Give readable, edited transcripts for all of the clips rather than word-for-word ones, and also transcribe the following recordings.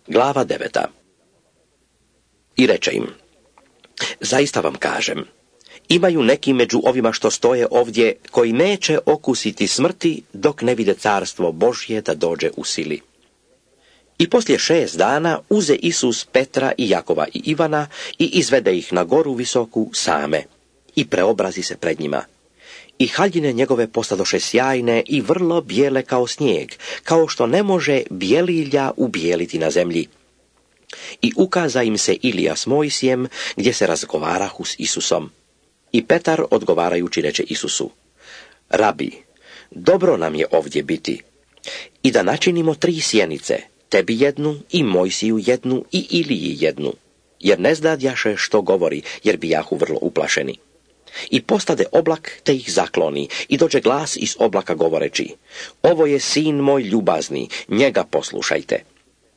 Glava 9. I reče im: zaista vam kažem, imaju neki među ovima što stoje ovdje, koji neće okusiti smrti dok ne vide carstvo Božje da dođe u sili. I poslije 6 dana uze Isus Petra i Jakova i Ivana i izvede ih na goru visoku same i preobrazi se pred njima. I haljine njegove postadoše sjajne i vrlo bijele kao snijeg, kao što ne može bijelilja ubijeliti na zemlji. I ukaza im se Ilija s Mojsijem, gdje se razgovarahu s Isusom. I Petar odgovarajući reče Isusu: Rabi, dobro nam je ovdje biti. I da načinimo 3 sjenice, tebi jednu i Mojsiju jednu i Iliji jednu, jer ne znadjaše što govori, jer bijahu vrlo uplašeni. I postade oblak, te ih zakloni, i dođe glas iz oblaka govoreći: ovo je sin moj ljubazni, njega poslušajte.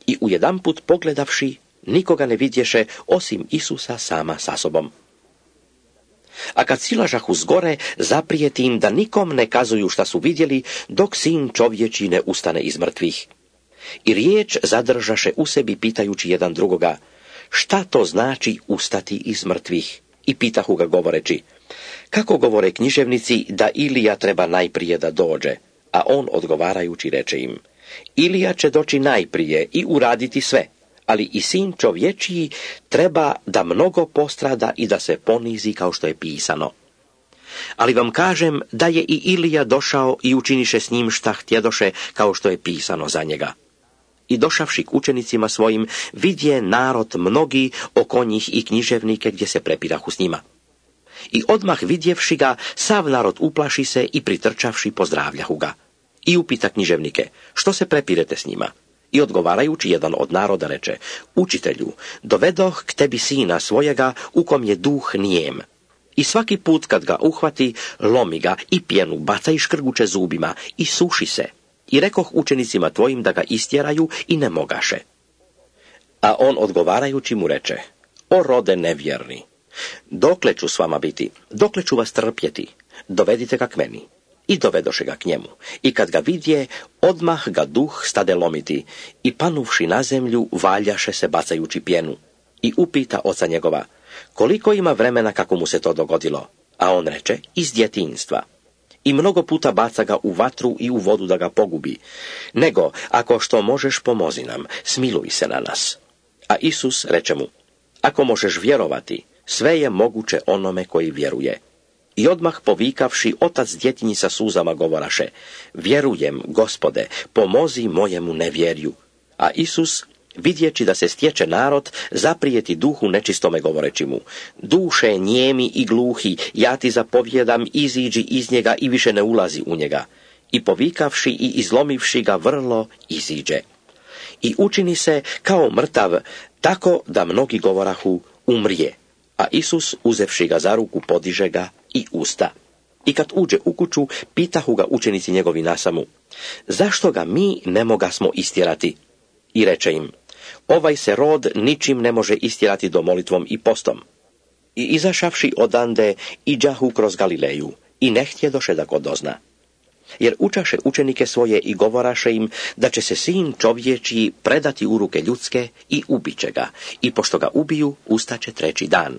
I ujedanput pogledavši, nikoga ne vidješe, osim Isusa sama sa sobom. A kad silažahu zgore, zaprijeti im da nikom ne kazuju šta su vidjeli, dok sin čovječi ne ustane iz mrtvih. I riječ zadržaše u sebi, pitajući jedan drugoga: šta to znači ustati iz mrtvih? I pitahu ga govoreći: kako govore književnici da Ilija treba najprije da dođe? A on odgovarajući reče im: Ilija će doći najprije i uraditi sve, ali i sin čovječiji treba da mnogo postrada i da se ponizi kao što je pisano. Ali vam kažem da je i Ilija došao i učiniše s njim šta htjedoše, kao što je pisano za njega. I došavši k učenicima svojim, vidje narod mnogi oko njih i književnike gdje se prepirahu s njima. I odmah vidjevši ga, sav narod uplaši se i pritrčavši pozdravljahu ga. I upita književnike: što se prepirete s njima? I odgovarajući jedan od naroda reče: učitelju, dovedoh k tebi sina svojega, u kom je duh nijem. I svaki put kad ga uhvati, lomi ga i pjenu baca i škrguče zubima i suši se. I rekoh učenicima tvojim da ga istjeraju i ne mogaše. A on odgovarajući mu reče: o rode nevjerni, dokle ću s vama biti, dokle ću vas trpjeti, dovedite ga k meni. I dovedoše ga k njemu. I kad ga vidje, odmah ga duh stade lomiti i panuvši na zemlju, valjaše se bacajući pjenu. I upita oca njegova: koliko ima vremena kako mu se to dogodilo? A on reče: iz djetinjstva. I mnogo puta baca ga u vatru i u vodu da ga pogubi. Nego, ako što možeš, pomozi nam, smiluj se na nas. A Isus reče mu: ako možeš vjerovati, sve je moguće onome koji vjeruje. I odmah povikavši, otac djetinji sa suzama govoraše: vjerujem, Gospode, pomozi mojemu nevjerju. A Isus, vidjeći da se stječe narod, zaprijeti duhu nečistome govoreći mu: duše nijemi i gluhi, ja ti zapovjedam, iziđi iz njega i više ne ulazi u njega. I povikavši i izlomivši ga vrlo, iziđe. I učini se kao mrtav, tako da mnogi govorahu: umrije. A Isus, uzevši ga za ruku, podiže ga i usta. I kad uđe u kuću, pitahu ga učenici njegovi nasamu: zašto ga mi ne mogasmo istjerati? I reče im: ovaj se rod ničim ne može istjerati do molitvom i postom. I izašavši odande, iđahu kroz Galileju i ne htjedoše da go dozna. Jer učaše učenike svoje i govoraše im da će se sin čovječiji predati u ruke ljudske i ubiće ga, i pošto ga ubiju, ustaće 3. dan.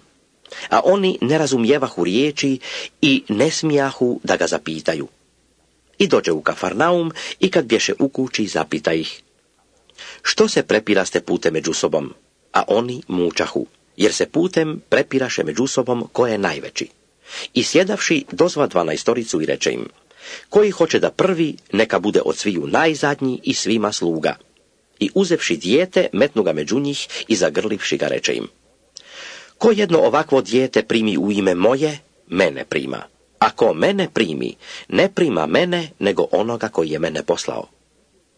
A oni ne razumjevahu riječi i ne smijahu da ga zapitaju. I dođe u Kafarnaum i kad bješe u kući, zapita ih: što se prepiraste putem među sobom? A oni mučahu, jer se putem prepiraše među sobom ko je najveći. I sjedavši, dozva 12 i reče im: koji hoće da prvi, neka bude od sviju najzadnji i svima sluga. I uzevši dijete, metnu ga među njih i zagrlivši ga reče im: ko jedno ovakvo dijete primi u ime moje, mene prima. A ko mene primi, ne prima mene, nego onoga koji je mene poslao.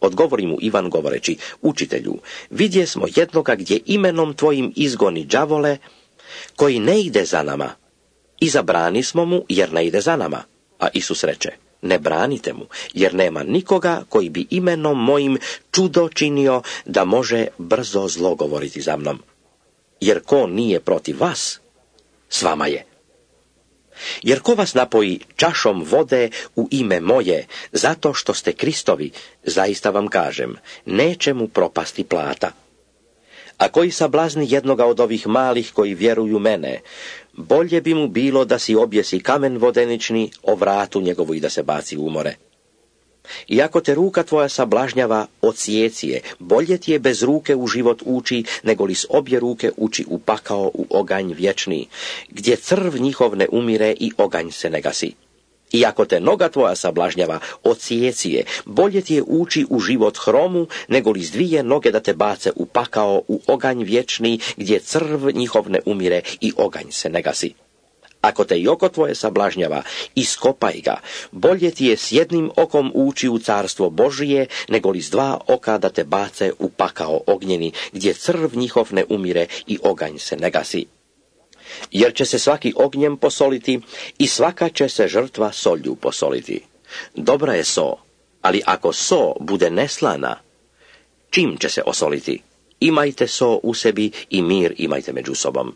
Odgovori mu Ivan govoreći: učitelju, vidje smo jednoga gdje imenom tvojim izgoni đavole, koji ne ide za nama. I zabrani smo mu, jer ne ide za nama. A Isus reče: ne branite mu, jer nema nikoga koji bi imenom mojim čudo činio da može brzo zlo govoriti za mnom. Jer ko nije protiv vas, s vama je. Jer ko vas napoji čašom vode u ime moje, zato što ste Kristovi, zaista vam kažem, neće mu propasti plata. A koji sablazni jednoga od ovih malih koji vjeruju mene, bolje bi mu bilo da si objesi kamen vodenični o vratu njegovu i da se baci u more. I ako te ruka tvoja sablažnjava, odsjeci je, bolje ti je bez ruke u život ući, nego li s obje ruke ući u pakao, u oganj vječni, gdje crv njihov ne umire i oganj se ne gasi. I ako te noga tvoja sablažnjava, odsjeci je, bolje ti je ući u život hromu, nego li s dvije noge da te bace u pakao, u oganj vječni, gdje crv njihov ne umire i oganj se ne gasi. Ako te i oko tvoje sablažnjava, iskopaj ga, bolje ti je s jednim okom ući u carstvo Božije, nego li s dva oka da te bace u pakao ognjeni, gdje crv njihov ne umire i oganj se ne gasi. Jer će se svaki ognjem posoliti i svaka će se žrtva solju posoliti. Dobra je so, ali ako so bude neslana, čim će se osoliti? Imajte so u sebi i mir imajte među sobom.